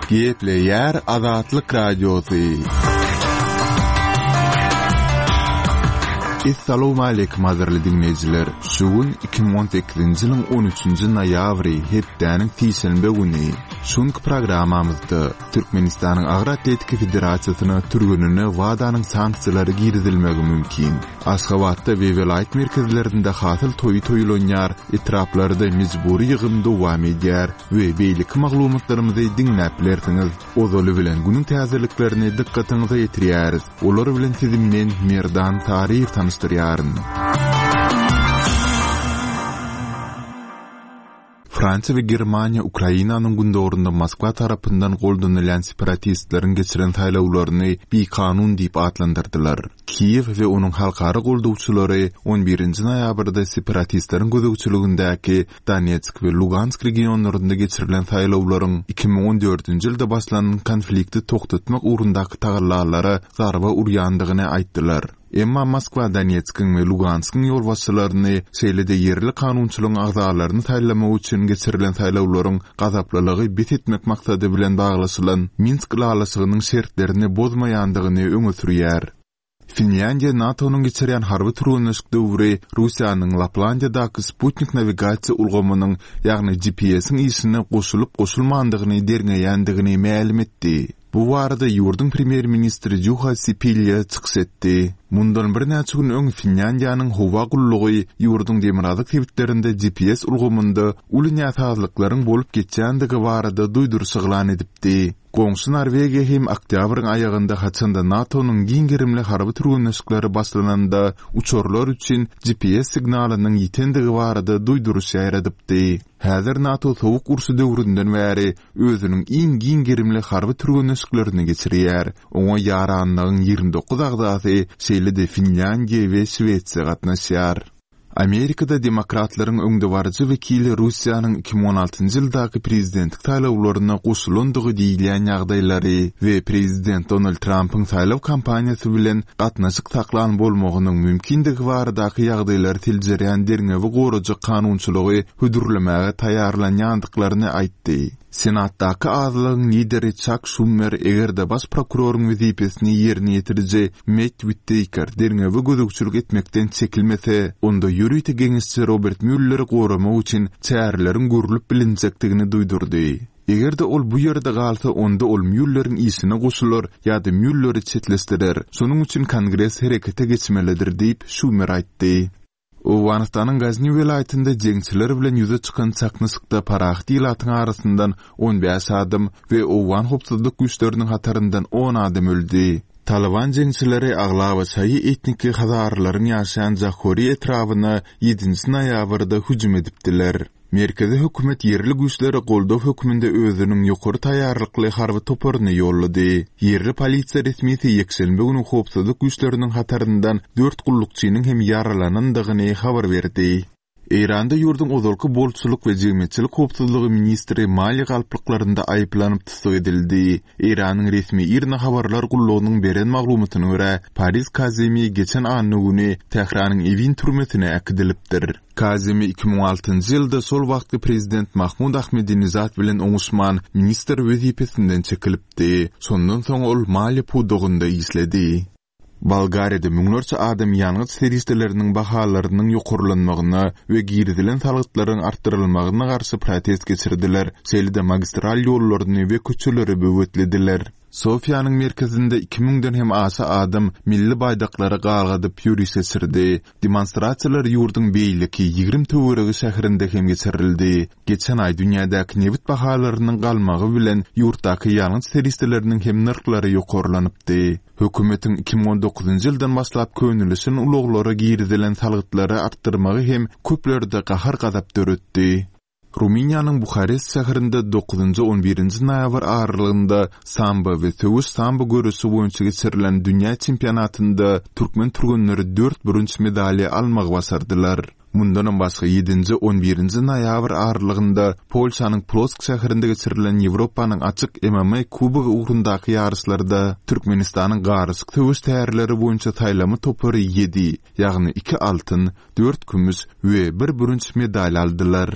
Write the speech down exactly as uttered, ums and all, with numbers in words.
Gepleýär Azatlyk Radiosy. Essalawmaleýkim gadyrly diňleýjiler! Şu gün iki müň on sekizinji ýylyň on üçünji noýabry, hepdäniň sişenbe güni. Şu günki programmamyzda Türkmenistanyň Agyr atletika federasiýasyna türgenine WADA-nyň sanksiýalary girizilmegi mümkin. Aşgabatda we welaýat merkezlerinde hasyl toýy toýlanýar, etraplarda mejbury ýygym dowam edýär we beýleki maglumatlarymyzy diňläp bilersiňiz. Ozaly bilen günüň täzeliklerini dykgatyňyza ýetirýäris. Olar bilen sizi men Merdan Taryýew tanyşdyrýaryn. Fransiýa we Germaniýa Ukrainanyň gündogarynda Moskwa tarapyndan goldanylýan separatistleriň geçiren saýlawlaryny bikanun diýip atlandyrdylar. Kiýew we onuň halkara goldawçylary on birinji noýabrda separatistleriň gözegçiligindäki Donetsk we Lugansk regionlarynda geçirilen saýlawlaryň iki müň on dördünji ýylda başlanan konflikti togtatmak ugrundaky tagallalara zarba urýandygyny aýtdylar. Emma Moskwa Donetskiň we Luganskyň ýolbaşçylaryny, şeýle-de ýerli kanunçylygyň agzalaryny saýlamak üçin geçirilen saýlawlaryň gazaplylygy bes etmek maksady bilen baglaşylan Minsk ylalaşygynyň şertlerini bozmaýandygyny öňe sürýär. Finlýandiýa NATO-nyň geçirýän harby türgenleşik döwri Russiýanyň Laplandiýadaky sputnik nawigasiýa ulgamynyň, ýagny G P S-iň işine goşulyp-goşulmandygyny derňeýändigini mälim etdi. Bu barada ýurduň premýer-ministri Juha Sipilýa çykyş etdi. Mundan birnäçe gün öň Finlýandiýanyň howa gullugy ýurduň demirgazyk sebitlerinde G P S ulgamynda uly näsazlyklaryň bolup geçýändigi barada duýduryş yglan edipdi. Goňşy Norwegiýa hem oktýabryň aýagynda haçanda NATO-nyň giň gerimli harby türgenleşikleri başlananda uçarlar üçin G P S signalynyň ýitendigi barada duýduryş ýaýradypdy. Häzir NATO sowuk urşy döwründen bäri özüniň iň giň gerimli harby türgenleşiklerini geçirýär. Oňa ýaranlygyň ýigrimi dokuz agzasy, şeýle-de Finlýandiýa we Şwesiýa gatnaşýar. Amerikada demokratlaryň öňdebaryjy wekili Russiýanyň iki müň on altynjy ýyldaky prezidentlik saýlawlaryna goşulandygy diýilýän ýagdaýlary we prezident Donald Trampyň saýlaw kampaniýasy bilen gatnaşyk saklan bolmagynyň mümkindigi baradaky ýagdaýlary seljerýän derňewi gorajak kanunçylygy hödürlemäge taýýarlanýandyklaryny aýtdy. Senatdaky azlygyň lideri Çak Şumer eger-de baş prokuroryň wezipesini ýerine ýetiriji Mett Witteýker derňewe gözegçilik etmekden çekilmese, onda ýörite geňeşçi Robert Mülleri goramak üçin çäreleriň görülip bilinjekdigini duýdurdy. Eger-de ol bu ýerde galsa, onda ol Mülleriň işine goşular ýa-da Mülleri çetleşdirer. Şonuň üçin Kongres herekete geçmelidir diýip Şumer aýtdy. Owganystanyň Gazni welaýatynda jeňçiler bilen ýüze çykan çaknyşykda parahat ilatyň arasyndan on bäş adam we owgan howpsuzlyk güýçleriniň hataryndan on adam öldi. Taliban jeňçileri aglaba şaýy etniki hazarlaryň ýaşaýan Jahori etrabyna ýedinji noýabrda hüjüm edipdiler. Merkezi hökümet ýerli güýçlere goldaw hökmünde özüniň ýokary taýýarlykly harby toparyny ýollady. Ýerli polisiýa resmisi ýekşenbe güni howpsuzlyk güýçleriniň hataryndan dört gullukçynyň hem ýaralanandygyny habar berdi. Eýranda ýurduň ozalky bolçulyk we jemgyýetçilik howpsuzlygy ministri maliýe galplyklarynda aýyplanyp tussag edildi. Eýranyň resmi IRNA habarlar gullugynyň beren maglumatyna görä, Paris Kazemi geçen anna güni Tähranyň Ewin türmesine äkidilipdir. Kazemi iki müň altynjy ýylda şol wagtky prezident Mahmud Ahmedinejad bilen oňuşman ministr wezipesinden çekilipdi. Şondan soň ol maliýe pudagynda işledi. Bolgariýada müňlerçe adam ýangyç serişdeleriniň bahalarynyň ýokarlanmagyna we girizilen salgytlaryň artdyrylmagyna garşy protest geçirdiler, şeýle-de magistral ýollaryny we köçeleri böwetlediler. Sofiýanyň merkezinde iki müňden hem aşa adam milli baýdaklary galgadyp ýöriş geçirdi. Demonstrasiýalar ýurduň beýleki ýigrimi töweregi şäherinde hem geçirildi. Geçen aý dünýädäki nebit bahalarynyň galmagy bilen ýurtdaky ýangyç serişdeleriniň hem nyrhlary ýokarlanypdy. Hökümetiň iki müň on dokuzynjy ýyldan başlap könelişen ulaglara girizilen salgytlary artdyrmagy hem köplerde gahar-gazap döretdi. Rumyniýanyň Buharest şäherinde dokuzynjy on birinji noýabr aralygynda sambo we söweş sambo göreşi boýunça geçirilen dünýä çempionatynda türkmen türgenleri dört bürünç medalýa almagy başardylar. Mundanam başga ýedinji on birinji noýabr aralygynda Polşanyň Plosk şäherinde geçirilen Ýewropanyň açyk M M A kubogy ugrundaky ýaryşlarda Türkmenistanyň garyşyk söweş tärleri boýunça saýlama topary ýedi, ýagny iki altyn, dört kümüş we bir bürünç medal aldylar.